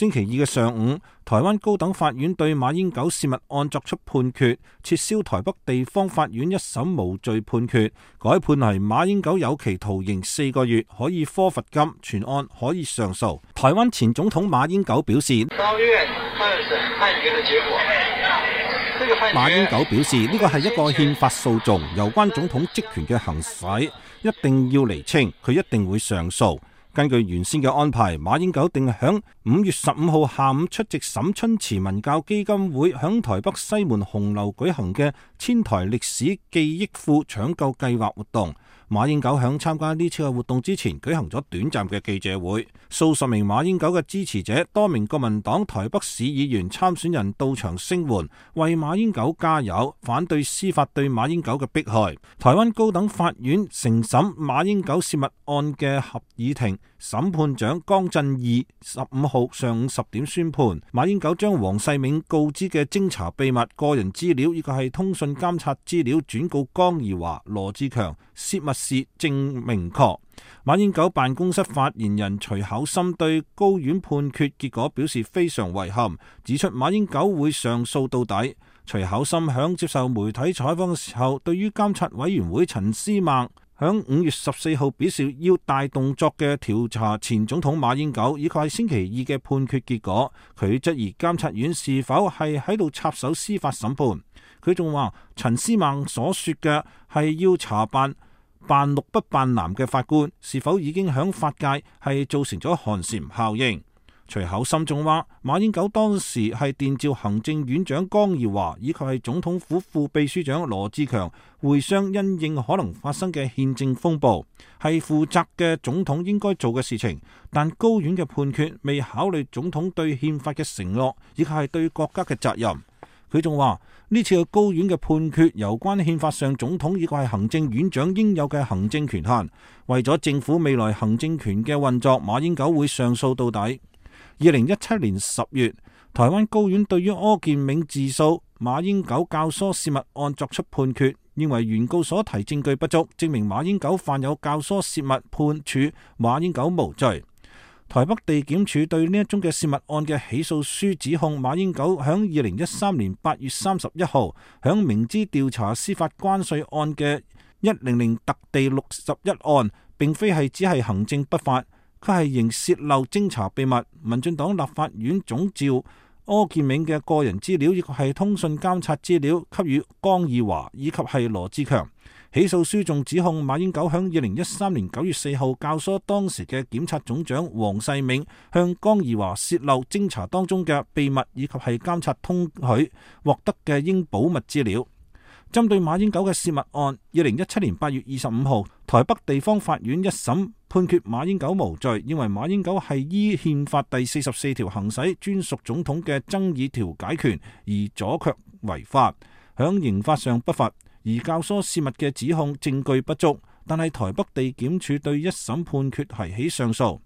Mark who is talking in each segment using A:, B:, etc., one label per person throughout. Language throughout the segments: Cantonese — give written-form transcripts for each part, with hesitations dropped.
A: 星期二嘅上午，台灣高等法院對馬英九泄密案作出判決，撤銷台北地方法院一審無罪判決，改判為馬英九有期徒刑4個月，可以科罰金，全案可以上訴。台灣前總統馬英九表示，
B: 高院二審判決嘅結果。
A: 馬英九表示，呢個係一個憲法訴訟，有關總統職權嘅行使一定要釐清，佢一定會上訴。根據原先嘅安排，馬英九定響5月15號下午出席沈春慈文教基金會響台北西門紅樓舉行嘅千台歷史記憶庫搶救計劃活動。馬英九響參加呢次嘅活動之前舉行咗短暫嘅記者會，數十名馬英九嘅支持者、多名國民黨台北市議員參選人到場聲援，為馬英九加油，反對司法對馬英九嘅迫害。台灣高等法院承審馬英九泄密案嘅合議庭審判長江振義15號上午10點宣判，馬英九將黃世銘告知嘅偵查秘密、個人資料以及係通訊監察資料轉告江宜樺、羅志強，泄密事正明確。馬英九辦公室發言人徐巧芯對高院判決結果表示非常遺憾，指出馬英九會上訴到底。徐巧芯響接受媒體採訪嘅時候，對於監察委員會陳思孟響5月14號表示要大動作嘅調查前總統馬英九，以及係星期二嘅判決結果，佢質疑監察院是否係喺度插手司法審判。佢仲話陳思孟所說嘅係要查辦綠不辦藍嘅法官，是否已經響法界係造成咗寒蟬效應。徐巧芯仲話馬英九當時係電召行政院長江宜樺以及係總統府副秘書長羅志強會商，因應可能發生嘅憲政風暴，係負責嘅總統應該做嘅事情。但高院嘅判決未考慮總統對憲法嘅承諾以及係對國家嘅責任。佢仲話呢次嘅高院嘅判決有關憲法上總統以及係行政院長應有嘅行政權限，為咗政府未來行政權嘅運作，馬英九會上訴到底。2017年10月，台灣高院對於柯建銘自訴馬英九教唆泄密案作出判決，認為原告所提證據不足，證明馬英九犯有教唆泄密，判處馬英九無罪。台北地檢署對呢一宗嘅泄密案嘅起訴書指控馬英九響2013年8月31號響明知調查司法關稅案嘅100特地61案，並非係只係行政不法，佢係仍洩漏偵查秘密。民進黨立法院總召柯建銘嘅個人資料以及係通訊監察資料給予江宜樺以及係羅志強。起訴書仲指控馬英九響2013年9月4號教唆當時嘅檢察總長黃世銘向江宜樺洩漏偵查當中嘅秘密以及係監察通許獲得嘅應保密資料。針對馬英九嘅泄密案，2017年8月25號，台北地方法院一審判決馬英九無罪，認為馬英九係依憲法第44條行使專屬總統嘅爭議調解權，而阻卻違法，響刑法上不罰。而教唆泄密嘅指控證據不足，但係台北地檢署對一審判決提起上訴。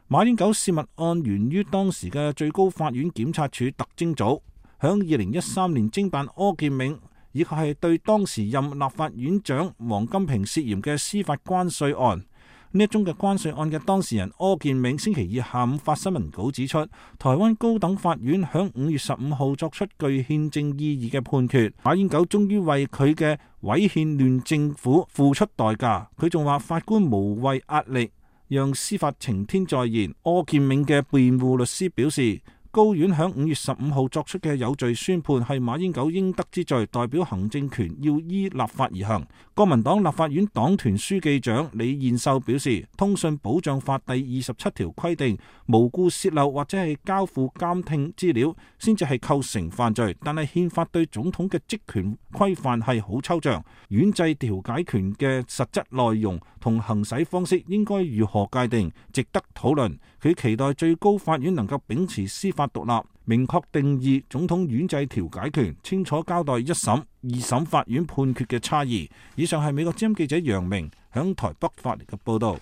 A: 馬英九泄密案源於當時嘅最高法院檢察署特偵組響2013年偵辦柯建銘，以及係對當時任立法院長王金平涉嫌嘅司法關稅案。呢一宗嘅關稅案嘅當事人柯建銘星期二下午發新聞稿指出，台灣高等法院響5月15號作出具憲政意義嘅判決，馬英九終於為佢嘅違憲亂政府付出代價。佢仲話法官無謂壓力，讓司法晴天再現。柯建銘嘅辯護律師表示，高院響5月15號作出嘅有罪宣判係馬英九應得之罪，代表行政權要依立法而行。國民黨立法院黨團書記長李彥秀表示，通訊保障法第27條規定，無故洩漏或者係交付監聽資料先至係構成犯罪，但係憲法對總統嘅職權規範係好抽象，院制調解權嘅實質內容同行使方式應該如何界定，值得討論。佢期待最高法院能夠秉持司法獨立，明確定義總統院制調解權，清楚交代一審、二審法院判決嘅差異。以上係美國之音記者楊明響台北發嚟嘅報道。